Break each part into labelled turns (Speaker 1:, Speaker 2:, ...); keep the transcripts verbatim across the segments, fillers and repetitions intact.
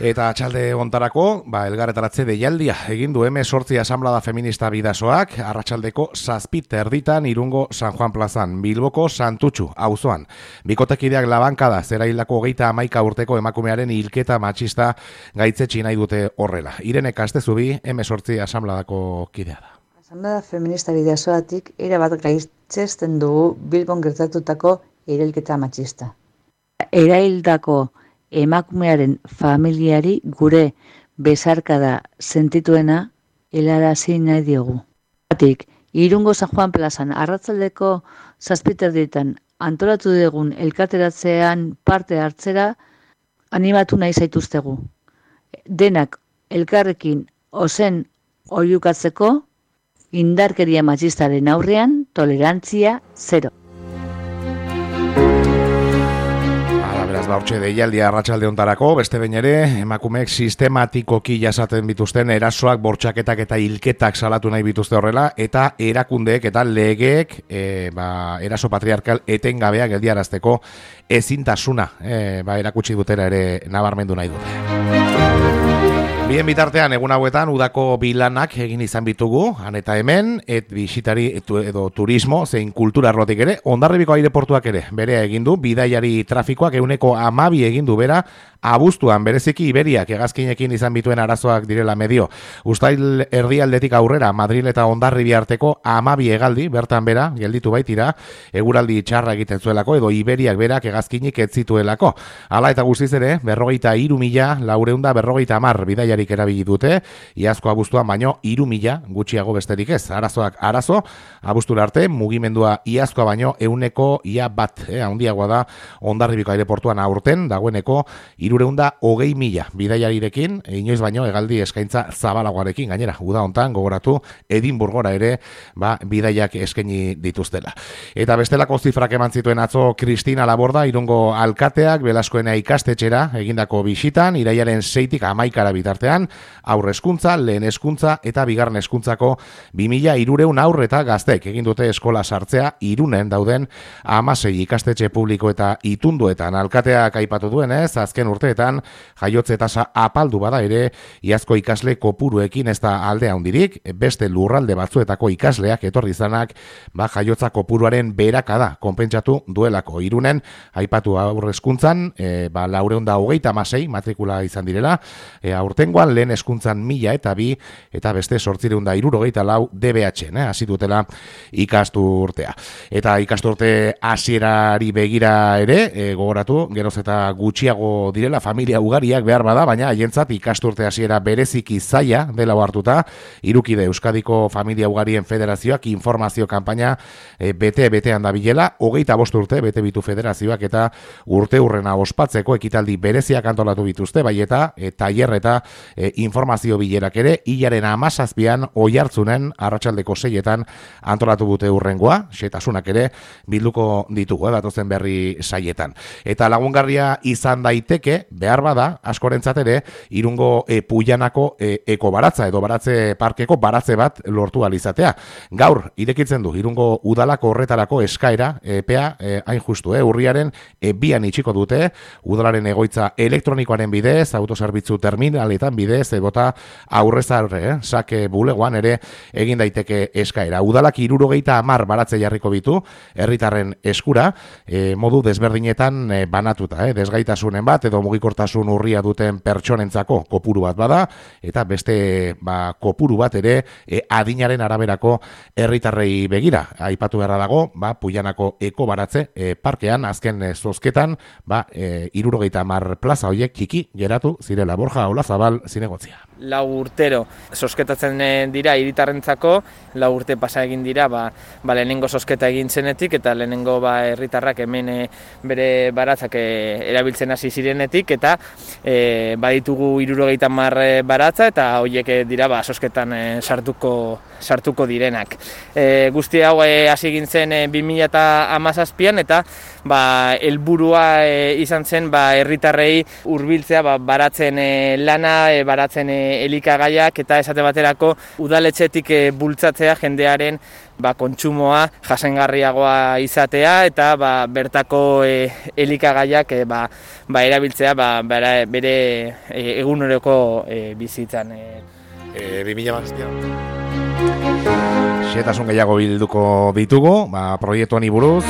Speaker 1: Eta atxalde ontarako, ba, elgarretaratze deialdia egin du eme sortzi asamblada feminista bidasoak, arratsaldeko zazpit erditan Irungo San Juan plazan, Bilboko Santutxu, auzoan. Bikotekideak labankada, zera hildako hogeita hamaika urteko emakumearen hilketa matxista gaitzetsi nahi dute horrela. Irene Kastezubi, eme sortzi asamladako kidea da.
Speaker 2: Asamblada feminista bidasoatik erabat gaitzesten dugu Bilbon gertatutako erailketa matxista. Eraildako emakumearen familiari gure besarkada sentituena helarazi nahi diogu. Batik, Irungo San Juan plazan arratsaldeko zazpiterdietan antolatu dugun elkarteratzean parte hartzera animatu nahi zaituztegu. Denak elkarrekin ozen oihukatzeko indarkeria matxistaren aurrean tolerantzia zero.
Speaker 1: Beraz, ba, hortxe deialdia arratsalde hontarako, beste behin ere, emakumeek sistematikoki jasaten bituzten erasoak, bortxaketak eta hilketak salatu nahi bituzte horrela, eta erakundeek eta legeek e, ba, eraso patriarkal etengabeak geldiarazteko ezintasuna e, ba, erakutsi dutera ere nabarmendu nahi dute. Bien bitartean, egun hauetan, udako bilanak egin izan bitugu, han eta hemen, et bisitari etu, edo turismo, zein kultura arlotik ere, Hondarribiko aireportuak ere, berea egindu, bidaiari trafikoak euneko amabi egindu bera, abuztuan, bereziki Iberiak hegazkinekin izan bituen arazoak direla medio. Uztail erdialdetik aurrera, Madril eta Hondarribi arteko amabi hegaldi, bertan bera, gelditu baitira, eguraldi txarra egiten zuelako, edo Iberiak berak hegazkinik ez zituelako. Hala eta guztiz ere, berrogeita hiru mila, laureunda berrogeita hamar bidaiarik erabili dute, iazko abuztuan baino hiru mila gutxiago besterik ez. Arazoak arazo, abuztura arte, mugimendua iazkoa baino euneko ia bat, eh, handiagoa da Hondarribiko aireportuan aurten, dagoeneko hirureunda hogei mila bidaiarirekin, inoiz baino hegaldi eskaintza zabalagoarekin, gainera, uda hontan gogoratu Edinburgora ere, ba, bidaiak eskaini dituztela. Eta bestelako zifrak eman zituen atzo Cristina Laborda, Irungo alkateak, Belaskoena ikastetxera egindako bisitan, iraiaren seitik hamaikara bitartean, aurre hezkuntza, lehen hezkuntza eta bigarren hezkuntzako bi mila hirurehun aurre eta gaztek egin dute eskola sartzea Irunen dauden hamasei ikastetxe publiko eta itunduetan. Alkateak aipatu duenez, azken urteetan jaiotze tasa apaldu bada ere, iazko ikasle kopuruekin ez da alde handirik, beste lurralde batzuetako ikasleak etorri izanak, ba jaiotza kopuruaren beherakada konpentsatu duelako. Irunen aipatu aurre hezkuntzan, e, ba laurehun eta hogeita hamasei matrikula izan direla, e, aurtengoan lehen hezkuntzan mila eta bi, eta beste zortziehun eta hirurogeita lau D B H-en, eh, hasi dutela ikastu urtea. Eta ikastu urte hasierari begira ere, e, gogoratu, geroz eta gutxiago direla familia ugariak behar bada, baina haientzat ikasturte hasiera bereziki zaila dela hartuta, Irukide Euskadiko Familia Ugarien Federazioak informazio kanpaina e, bete-betean dabilela, hogeita bost urte bete bitu federazioak eta urte urrena ospatzeko ekitaldi bereziak antolatu bituzte, bai eta e, tailer eta e, informazio bilerak ere, hilaren hamazazpian oihartzunen arratsaldeko seietan antolatu dute urrengoa, xetasunak ere bilduko ditugu, eh, datozen berri saietan. Eta lagungarria izan daiteke, behar bada, askorentzat ere, Irungo e, Puilanako e, eko baratza edo baratze parkeko baratze bat lortu alizatea. Gaur, irekitzen du, Irungo udalako horretarako eskaera, epea, e, hain justu, e, urriaren e, bian itxiko dute, udalaren egoitza elektronikoaren bidez, autozerbitzu terminaletan bidez, edota aurrezarre, eh, sake bulegoan ere egin daiteke eskaera. Udalak hirurogeita hamar baratze jarriko bitu, herritarren eskura, e, modu desberdinetan e, banatuta, eh, desgaitasunen bat, edo mugikortasun urria duten pertsonentzako kopuru bat bada, eta beste ba, kopuru bat ere e, adinaren araberako herritarrei begira. Aipatu beharra dago, ba, Puilanako eko baratze e, parkean, azken e, zozketan, ba, e, hirurogeita hamar plaza horiek txiki geratu zirela. Borja Olazabal, zinegotzia.
Speaker 3: Lau urtero zozketatzen dira hiritarrentzako, lau urte pasa egin dira, ba, ba lehenengo zozketa egin zenetik, eta lehenengo ba herritarrak hemen e, bere baratzak e, erabiltzen hasi zirenetik, eta e, baditugu hirurogeita hamar baratza, eta horiek dira ba zozketan e, sartuko sartuko direnak. E, guzti hau e, hasi egin zen e, bi mila hamazazpian, eta ba helburua e, izan zen ba herritarrei hurbiltzea ba, baratzen e, lana, e, baratzen e, elikagaiak eta esate baterako udaletxetik e, bultzatzea jendearen ba, kontsumoa jasangarriagoa izatea eta ba, bertako e, elikagaiak e, ba, ba, erabiltzea ba, bere, bere e, eguneroko e, bizitzan. E.
Speaker 1: E, bi mila hamazazpian. Xehetasun gehiago bilduko ditugu, ba, proiektuan buruz.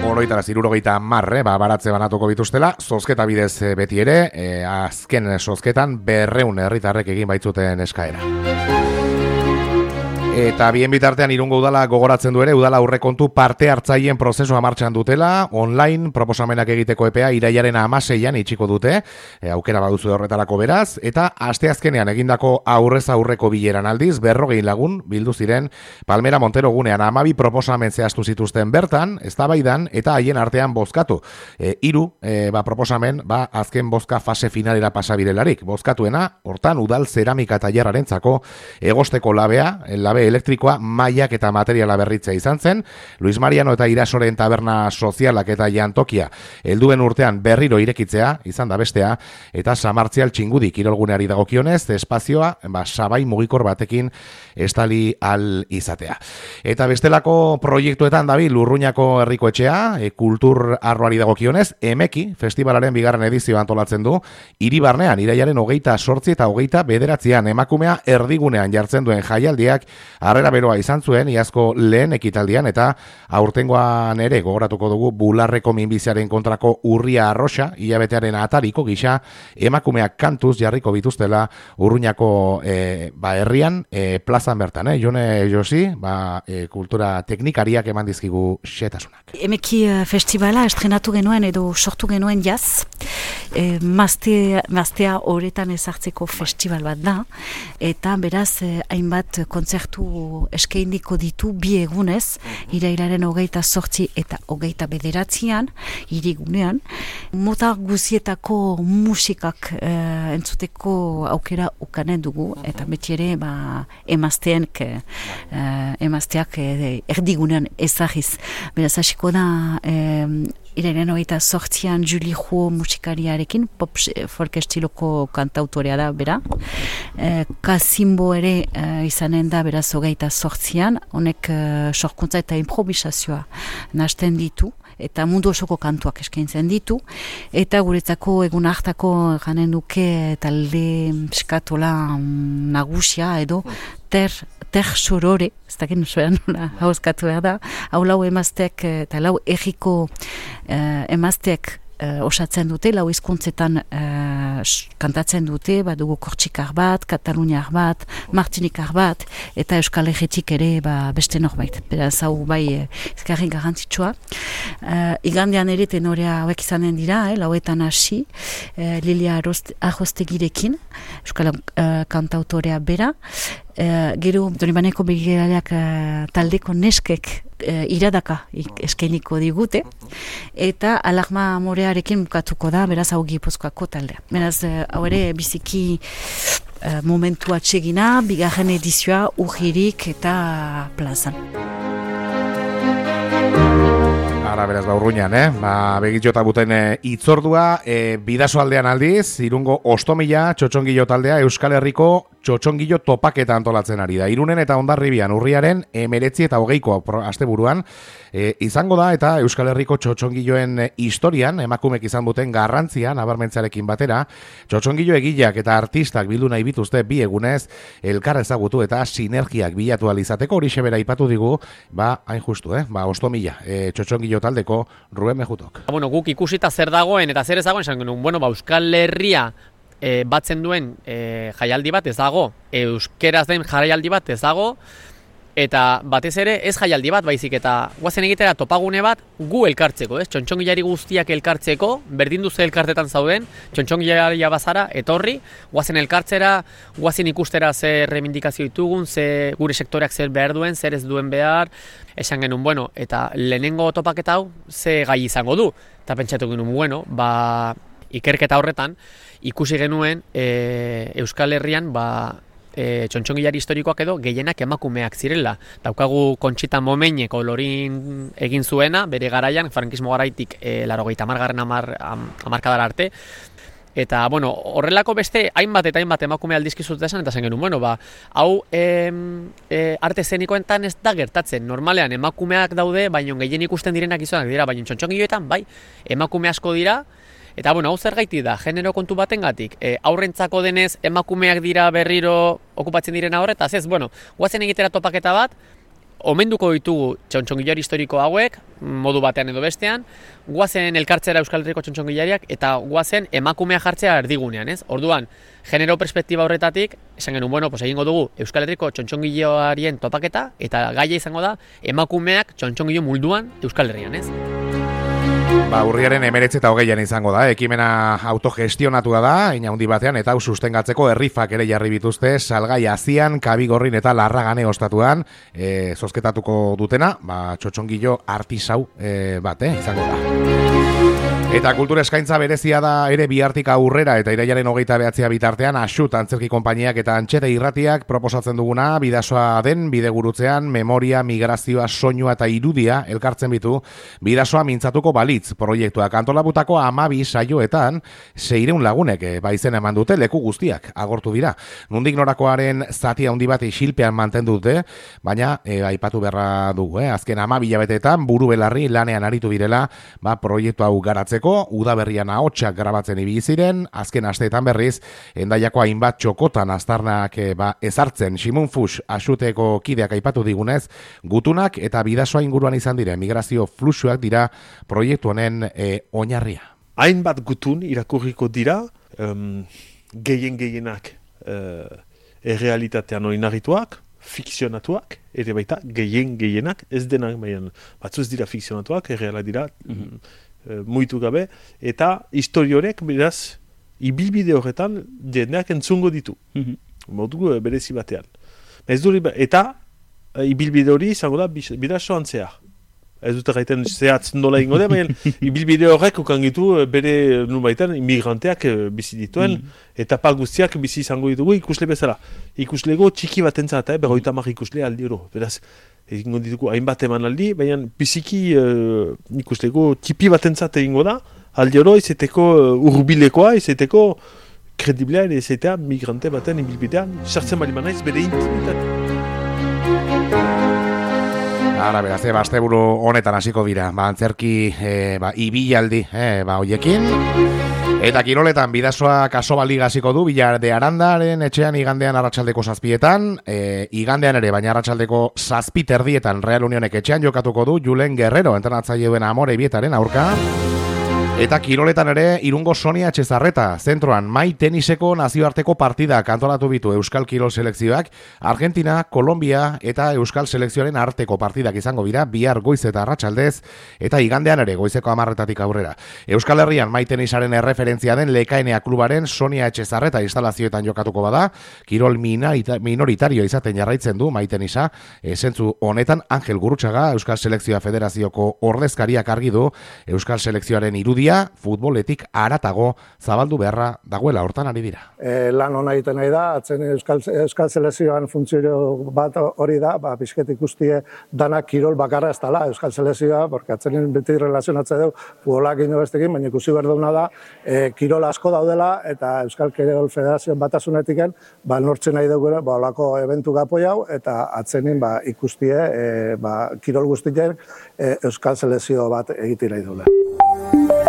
Speaker 1: Oroitara zirurogeita marre, ba, baratze banatuko bituztela, zozketa bidez beti ere, e, azken zozketan berreun herritarrek egin baitzuten eskaera. Eta bien bitartean Irungo udala gogoratzen du ere, udala aurrekontu parte hartzaileen prozesua martxan dutela, online proposamenak egiteko epea irailaren hamaseian itxiko dute, e, aukera baduzu horretarako beraz, eta asteazkenean egindako aurrez aurreko bileran aldiz, berrogei lagun bildu ziren Palmera Montero gunean hamabi proposamen zehaztu zituzten bertan, eztabaidan eta haien artean bozkatu. E, hiru e, ba, proposamen ba, azken bozka fase finalera pasabirelarik. Bozkatuena, hortan udal zeramika tailerrarentzako egosteko labea, labe elektrikoa, mailak eta materiala berritzea izan zen, Luis Mariano eta Irasoren taberna sozialak eta jantokia helduen urtean berriro irekitzea, izan da bestea, eta Samartzial Txingudi kirolguneari dagokionez, espazioa, ba, sabai mugikor batekin estali al izatea. Eta bestelako proiektuetan dabil Urruñako herriko etxea, e, kultur arloari dagokionez, Emeki festivalaren bigarren edizioa antolatzen du, Hiribarnean, irailaren hogeita sortzi eta hogeita bederatzean emakumea erdigunean jartzen duen jaialdiak harrera beroa izan zuen, iazko lehen ekitaldian, eta aurtengoan ere gogoratuko dugu bularreko minbiziaren kontrako urria arroxa, hilabetearen atariko gisa, emakumeak kantuz jarriko bituztela Urruñako e, ba, herrian, e, plazan bertan, eh? Jone Josi, ba, e, kultura teknikariak eman dizkigu xetasunak.
Speaker 4: Emeki festivala estrenatu genuen edo sortu genuen jaz, e, mazte, maztea horretan ezartzeko festival bat da, eta beraz eh, hainbat kontzertu eskainiko ditu bi egunez, irailaren hogeita zortzi eta hogeita bederatzean, hirigunean, mota guzietako musikak eh, entzuteko aukera ukanen dugu, eta beti ere ba, emazteak, eh, emazteak eh, erdigunean ezagiz. Beraz, hasiko da eh, irailaren hogeita zortzian Julie Jo musikariarekin, pop folk estiloko kantautorea da, bera. Eh, Kasimbo ere eh, izanen da, beraz, hogeita zortzian, honek uh, sorkuntza eta improvisazioa nahasten ditu, eta mundu osoko kantuak eskaintzen ditu, eta guretzako egun hartako ganen duke talde skatola nagusia edo ter, ter sorore, ez dakit nusoean nola hauzkatu behar da, hau lau emazteak eta lau erriko uh, emazteak Uh, osatzen dute, lau hizkuntzetan uh, kantatzen dute, badugu kortxikar bat, kataluniar bat, martinikar bat, eta Euskal Herritik ere ba, beste norbait. Beraz, hau bai ezkarri garrantzitsua. Uh, igandean ere tenorea hauek izanen dira, eh, lauetan hasi, uh, Lilia Arrostegirekin, Euskal uh, kantautorea bera, Uh, gero, Donibaneko begiraleak uh, taldeko neskek uh, iradaka eskainiko digute, eta Alarma Amorearekin bukatuko da, beraz hau Gipuzkoako taldea. Beraz, uh, hau ere biziki uh, momentu atsegina, bigarren edizioa urririk eta plazan.
Speaker 1: Ara, beraz, ba, Urruñan, eh? Ba, begitxota buten e, itzordua, e, bidaso aldean aldiz, Irungo Ostomila, txotxongilo taldea, Euskal Herriko txotxongilo topaketa antolatzen ari da. Irunen eta Hondarribian urriaren emeretzi eta hogeiko asteburuan e, izango da, eta Euskal Herriko txotxongiloen historian, emakumek izan duten garrantzia, nabarmentzarekin batera, txotxongilo egileak eta artistak bildu nahi bituzte bi egunez, elkar ezagutu eta sinergiak bilatu alizateko, hori sebera ipatu digu, ba, hain justu, eh? Ba, Ostomila, e, txotxongilo taldeko Ruben Mejutok.
Speaker 5: Bueno, guk ikusita zer dagoen eta zer ez dagoen, esan genuen, bueno, ba, Euskal Herria e, batzen duen e, jaialdi bat ez dago, euskeraz den jaialdi bat ez dago, eta batez ere ez jaialdi bat baizik, eta guazen egitera topagune bat gu elkartzeko, ez? Txontxongilari guztiak elkartzeko, berdin duze elkartetan zauden, txontxongilaria bazara, etorri, guazen elkartzera, guazen ikustera zer reivindikazio ditugun, ze gure sektoreak zer behar duen, zer ez duen behar, esan genuen, bueno, eta lehenengo topaketa hau ze gai izango du, eta pentsatu genuen, bueno, ba, ikerketa horretan, ikusi genuen e, Euskal Herrian, ba, e, txontxongilari historikoak edo gehienak emakumeak zirela. Daukagu Kontxita Momenek olorin egin zuena, bere garaian, frankismo garaitik e, larogeita hamargarren amar, am, hamarkadara arte, Eta, bueno, horrelako beste hainbat eta hainbat emakume aldizkizut esan, eta zen genuen, bueno, ba, hau em, e, arte zenikoetan ez da gertatzen. Normalean emakumeak daude, baino gehien ikusten direnak izanak dira, baino txontxongilloetan, bai, emakume asko dira, eta, bueno, hau zergaiti da, genero kontu batengatik, e, aurrentzako denez emakumeak dira berriro okupatzen direna horretaz, ez, bueno, guazen egitera topaketa bat, omenduko ditugu txontxongilari historiko hauek, modu batean edo bestean, guazen elkartzera Euskal Herriko txontxongilariak eta guazen emakumea jartzea erdigunean, ez? Orduan, genero perspektiba horretatik, esan genuen, bueno, pues egingo dugu Euskal Herriko txontxongilarien topaketa eta gaia izango da emakumeak txontxongilo mulduan Euskal Herrian, ez?
Speaker 1: Ba, urriaren emeretzi eta hogeian izango da, ekimena autogestionatua da, ina handi batean, eta hau sustengatzeko herrifak ere jarri bituzte, Salgai Azian, Kabigorrin eta Larragane ostatuan, e, zozketatuko dutena, ba, txotxongilo artisau e, bat, eh, izango da. Eta kultura eskaintza berezia da ere bihartik aurrera eta irailaren hogeita behatzia bitartean Axut antzerki konpainiak eta Antxete irratiak proposatzen duguna bidasoa den bidegurutzean memoria, migrazioa, soinua eta irudia elkartzen bitu bidasoa mintzatuko balitz proiektuak antolabutako hamabi saioetan seiehun lagunek e, baizen eman dute leku guztiak agortu dira. Nundik norakoaren zati handi bat isilpean mantendu dute, baina e, aipatu beharra dugu, eh? Azken hamabi hilabeteetan buru belarri lanean aritu direla, ba proiektu hau garatzeko udaberrian ahotsak grabatzen ibili ziren, azken asteetan berriz Hendaiako hainbat txokotan aztarnak e, ba, ezartzen Simun Fus Axuteko kideak aipatu digunez, gutunak eta bidasoa inguruan izan diren migrazio fluxuak dira proiektu honen e, oinarria.
Speaker 6: Hainbat gutun irakurriko dira, um, gehien gehienak uh, errealitatean oinarrituak, fikzionatuak, ere baita gehien gehienak, ez denak, baina batzu ez dira fikzionatuak, erreala dira, mm-hmm. muitu gabe, eta historiorek, beraz, ibilbide horretan jendeak entzungo ditu. Mm-hmm. Modu berezi batean. Ez duri, eta ibilbide hori izango da bidasoan zehar. Ez dut gaiten zehatz nola ingo da, baina ibilbide horrek ukangitu bere nubaitan immigranteak bizi dituen, mm. eta pa guztiak bizi izango ditugu ikusle bezala. Ikuslego txiki bat entzat, eh, berroita mar ikusle aldi oro. Beraz, egingo ditugu hainbat eman aldi, baina biziki uh, ikuslego tipi bat entzat egingo da, aldi oro izeteko uh, urbilekoa, izeteko krediblea, izetea migrante baten ibilbidean, sartzen bali manaiz bere intimitate.
Speaker 1: Ara, beraz, e, asteburu honetan hasiko dira, ba, antzerki, e, ba, ibilaldi, e, ba, hoiekin. Eta kiroletan, bidasoa kasoba liga hasiko du, Bilar de Arandaren etxean igandean arratsaldeko zazpietan, e, igandean ere, baina arratsaldeko zazpi terdietan Real Unionek etxean jokatuko du, Julen Guerrero, entrenatzaile duen Amore Ibietaren aurka. Eta kiroletan ere, Irungo Sonia Etxezarreta, zentroan mai teniseko nazioarteko partida antolatu bitu Euskal Kirol selekzioak, Argentina, Kolombia eta Euskal selekzioaren arteko partidak izango dira, bihar goiz eta arratsaldez, eta igandean ere goizeko hamarretatik aurrera. Euskal Herrian mai tenisaren erreferentzia den Lekaenea klubaren Sonia Etxezarreta instalazioetan jokatuko bada, kirol minoritario izaten jarraitzen du mai tenisa, zentzu honetan Angel Gurutxaga, Euskal Selekzioa Federazioko ordezkariak argi du, Euskal selekzioaren irudia futboletik aratago zabaldu beharra dagoela hortan ari dira.
Speaker 7: E, lan hona egiten nahi da, atzen Euskal, Euskal Selezioan funtzio bat hori da, ba, pixket ikustie danak kirol bakarra ez dela Euskal Selezioa, porque atzenen beti relazionatzen dugu futbolak ino bestekin, baina ikusi behar duguna da, e, kirol asko daudela eta Euskal Kirol Federazioan batasunetiken, ba, nortzen nahi dugu, ba, olako eventu gapoi hau, eta atzenin ba, ikustie e, ba, kirol guztien e, Euskal Selezio bat egiten nahi dugu.